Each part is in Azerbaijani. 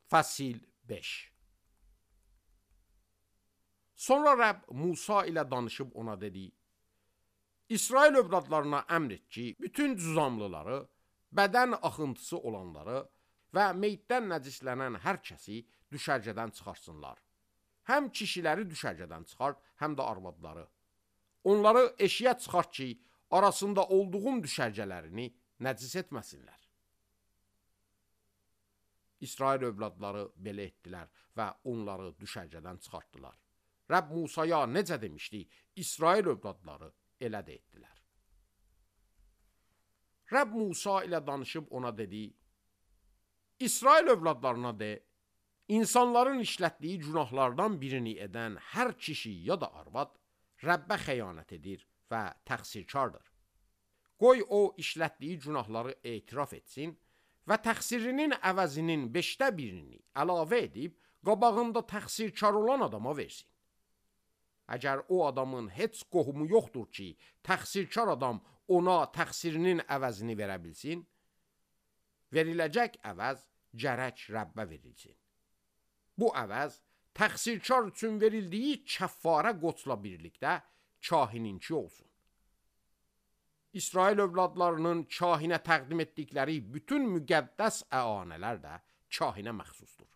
Fəsil 5. Sonra Rəbb Musa ilə danışıb ona dedi: İsrail övladlarına əmr et ki, bütün cüzamlıları, bədən axıntısı olanları və meyitdən nəcislənən hər kəsi düşərgədən çıxarsınlar. Həm kişiləri düşərgədən çıxart, həm də arvadları. Onları eşiyə çıxart ki, arasında olduğum düşərgələrini nəcis etməsinlər. İsrail övladları belə etdilər və onları düşərgədən çıxartdılar. Rəbb Musaya necə demişdi, İsrail övladları elə də etdilər. Rəbb Musa ilə danışıb ona dedi: İsrail övladlarına de, insanların işlətdiyi günahlardan birini edən hər kişi ya da arvad Rəbbə xəyanət edir və təqsirkardır. Qoy o işlətdiyi günahları etiraf etsin və təqsirinin əvəzinin 5də birini əlavə edib qabağında təqsirkar olan adama versin. Əgər o adamın heç qohumu yoxdur ki, təqsirkar adam ona təqsirinin əvəzini verə bilsin, veriləcək əvəz gərək Rəbbə verilsin. Bu əvəz təqsirkar üçün verildiyi kəffarə qoçla birlikdə kahininki olsun. İsrail övladlarının kahinə təqdim etdikləri bütün müqəddəs əanələr də kahinə məxsusdur.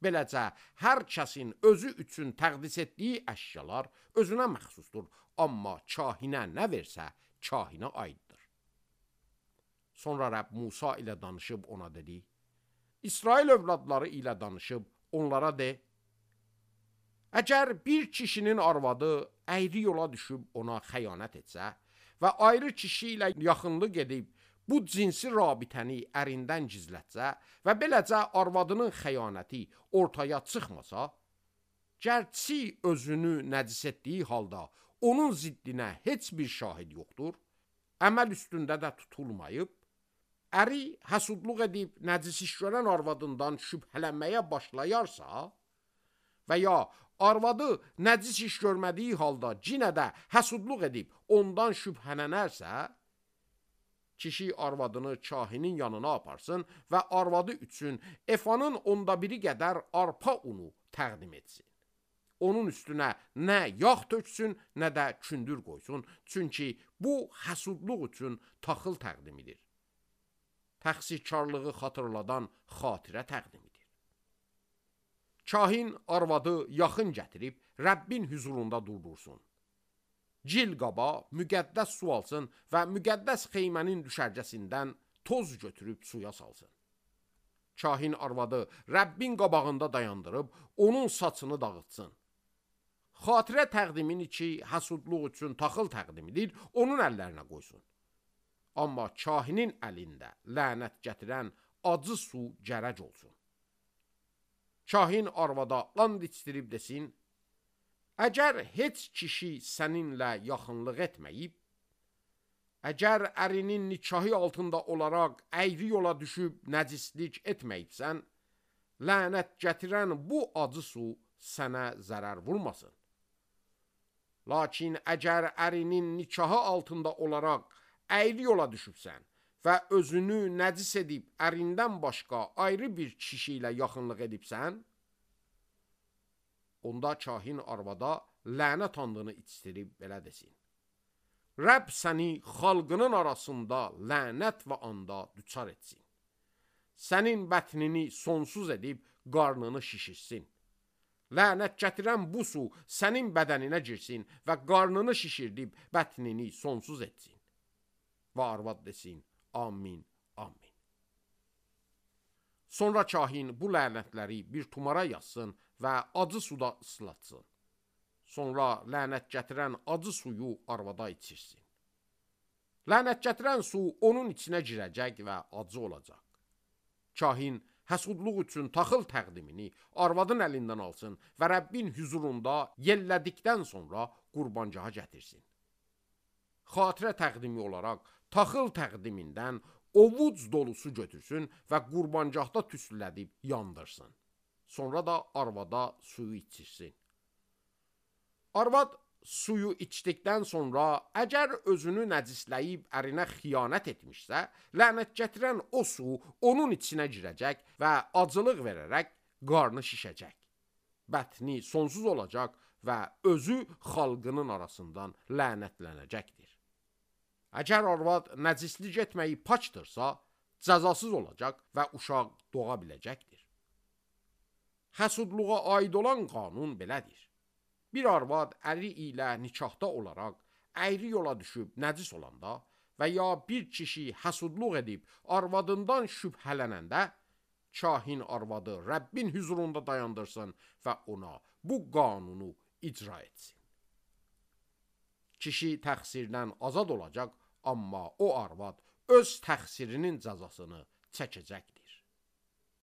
Beləcə, hər kəsin özü üçün təqdis etdiyi əşyalar özünə məxsusdur, amma kahinə nə versə, kahinə aiddir. Sonra Rəbb Musa ilə danışıb ona dedi: İsrail övladları ilə danışıb onlara de: Əgər bir kişinin arvadı əyri yola düşüb ona xəyanət etsə və ayrı kişi ilə yaxınlıq edib bu cinsi rabitəni ərindən gizlətsə və beləcə arvadının xəyanəti ortaya çıxmasa, gərçi özünü nəcis etdiyi halda onun ziddinə heç bir şahid yoxdur, əməl üstündə də tutulmayıb, əri həsudluq edib nəcis iş görən arvadından şübhələnməyə başlayarsa və ya arvadı nəcis iş görmədiyi halda cinə də həsudluq edib ondan şübhələnərsə, kişi arvadını kahinin yanına aparsın və arvadı üçün efanın 1/10 qədər arpa unu təqdim etsin. Onun üstünə nə yağ töksün, nə də kündür qoysun, çünki bu həsudluq üçün taxıl təqdimidir. Təqsirkarlığı xatırladan xatirə təqdimidir. Kahin arvadı yaxın gətirib Rəbbin hüzurunda durdursun. Cil qaba müqəddəs su alsın və müqəddəs xeymənin düşərgəsindən toz götürüb suya salsın. Kahin arvadı Rəbbin qabağında dayandırıb onun saçını dağıtsın. Xatirə təqdimini ki, həsudluq üçün taxıl təqdimidir, onun əllərinə qoysun. Amma kahinin əlində lənət gətirən acı su gərək olsun. Kahin arvada and içdirib desin: Əgər heç kişi səninlə yaxınlıq etməyib, əgər ərinin nikahı altında olaraq əyri yola düşüb nəcislik etməyibsən, lənət gətirən bu acı su sənə zərər vurmasın. Lakin əgər ərinin nikahı altında olaraq əyri yola düşübsən və özünü nəcis edib ərindən başqa ayrı bir kişi ilə yaxınlıq edibsən, onda kahin arvada lənət andını içdirib belə desin: Rəbb səni xalqının arasında lənət və anda düçar etsin. Sənin bətnini sonsuz edib qarnını şişirsin. Lənət gətirən bu su sənin bədəninə girsin və qarnını şişirdib bətnini sonsuz etsin. Və arvad desin: Amin, amin. Sonra kahin bu lənətləri bir tumara yazsın və acı suda ıslatsın. Sonra lənət gətirən acı suyu arvada içirsin. Lənət gətirən su onun içinə girəcək və acı olacaq. Kahin həsudluq üçün taxıl təqdimini arvadın əlindən alsın və Rəbbin hüzurunda yellədikdən sonra qurbancaha gətirsin. Xatirə təqdimi olaraq taxıl təqdimindən ovuc dolusu götürsün və qurbancaqda tüstülədib yandırsın. Sonra da arvada suyu içirsin. Arvad suyu içdikdən sonra əgər özünü nəcisləyib ərinə xiyanət etmişsə, lənət gətirən o su onun içinə girəcək və acılıq verərək qarnı şişəcək. Bətni sonsuz olacaq və özü xalqının arasından lənətlənəcəkdir. Əgər arvad nəcislik etməyi pakdırsa, cəzasız olacaq və uşaq doğa biləcəkdir. Həsudluğa aid olan qanun belədir. Bir arvad əri ilə nikahda olaraq əyri yola düşüb nəcis olanda və ya bir kişi həsudluq edib arvadından şübhələnəndə, kahin arvadı Rəbbin hüzurunda dayandırsın və ona bu qanunu icra etsin. Kişi təqsirdən azad olacaq, amma o arvad öz təqsirinin cəzasını çəkəcəkdir.